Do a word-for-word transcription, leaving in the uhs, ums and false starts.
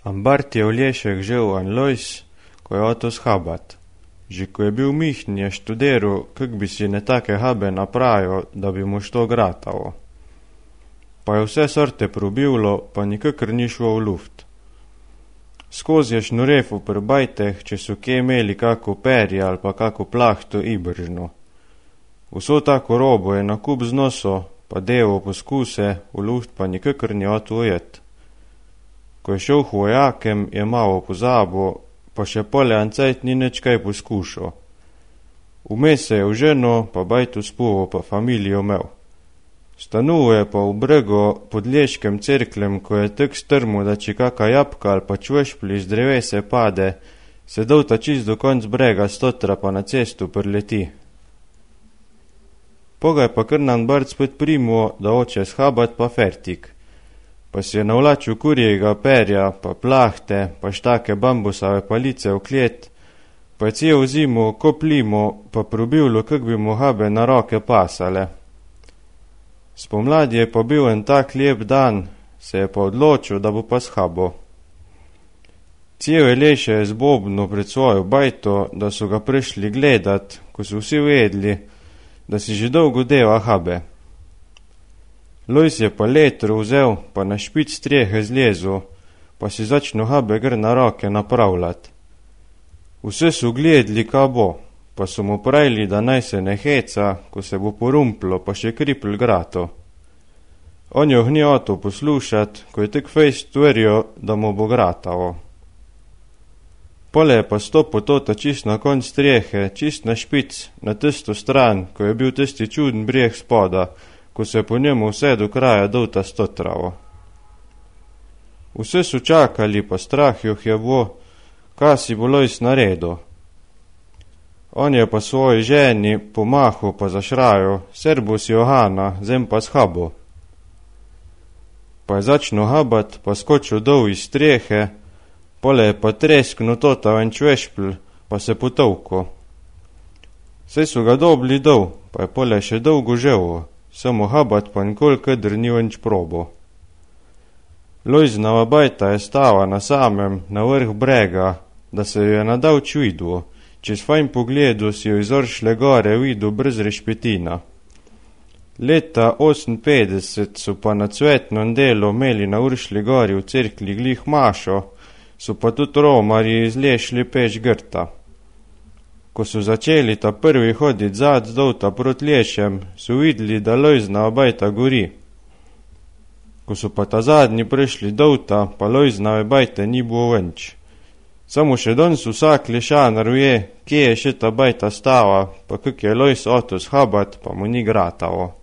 Ambart je v Lješek žel en Lojs, ko je oto shabat. Že ko je bil mihn, je študiral, kak bi si ne take habe napravil, da bi mu što gratalo. Pa je vse sorte probivlo, pa nikakor ni šlo v luft. Skozi je šnurefu pri bajteh, če so kje imeli kako perje ali pa kako plahto ibržno. Vso tako robo je na kup znoso, pa devo poskuse, v luft pa nikakor ni oto ujet. Ko je šel k vojakem, je malo pozabo, pa še pole ancajt ni nič kaj poskušal. Vmes se je v ženo, pa bajtu spuvo, pa familijo imel. Stanuje pa v brego pod Lješkem cerklem, ko je tak strmo, da če kaka jabka ali pa čvešpli z drevese pade, se dolta čist do konc brega stotra pa na cestu prleti. Pogaj pa kar nam Bart spet primo, da oče shabat pa fertik. Pa si je navlačil kurjega perja, pa plahte, pa štake bambusave palice v klet, pa je cel zimo koplimo, pa probivlo, kak bi mu habe na roke pasale. Spomladi je pa bil en tak lep dan, se je pa odločil, da bo pa shabo. Cel je Leše je zbobno pred svojo bajto, da so ga prišli gledat, ko so vsi vedli, da si že dolgo deva habe. Lojs je pa letro vzel, pa na špic strehe zlezu, pa si začnu habe gr na roke napravljat. Vse so gledli, ka bo, pa so mu pravili, da naj se ne heca, ko se bo porumplo, pa še kripl grato. On jo hni oto poslušat, ko je tek fejst tvrjo, da mu bo gratavo. Pole je pa stopo tota čist na konc strehe, čist na špic, na tisto stran, ko je bil tisti čuden breh spoda, ko se po njemu vse do kraja dolta stotravo. Vse so čakali, pa strah joh je bo, ka si bo Lojs naredo. On je pa svoji ženi pomahu pa zašrajo, Serbus Johana, zem pa shabo. Pa je začnu habat, pa skočil dol iz strehe, pole je pa treskno tota ven čvešpl, pa se potovko. Saj so ga dobli dol, pa je pole še dolgo ževo, samo habat pa nikol kadr ni venč probo. Lojznava bajta je stava na samem, na vrh brega, da se jo je nadavč vidvo. Čez fajn pogledu si jo izoršle gore vidu brez rešpetina. Leta oseminpetdeset so pa na cvetnem delu imeli na Uršli gori v cerkli glih mašo, so pa tudi romarji izlešli peč grta. Ko so začeli ta prvi hodit zad zdolta prot Lješem, so videli, da Lojzna bajta gori. Ko so pa ta zadnji prišli dolta, pa Lojznave bajte ni bilo venč. Samo še danes vsak Lješanar ve, kje je še ta bajta stava, pa kak je Lojs oto shabat, pa mu ni gratavo.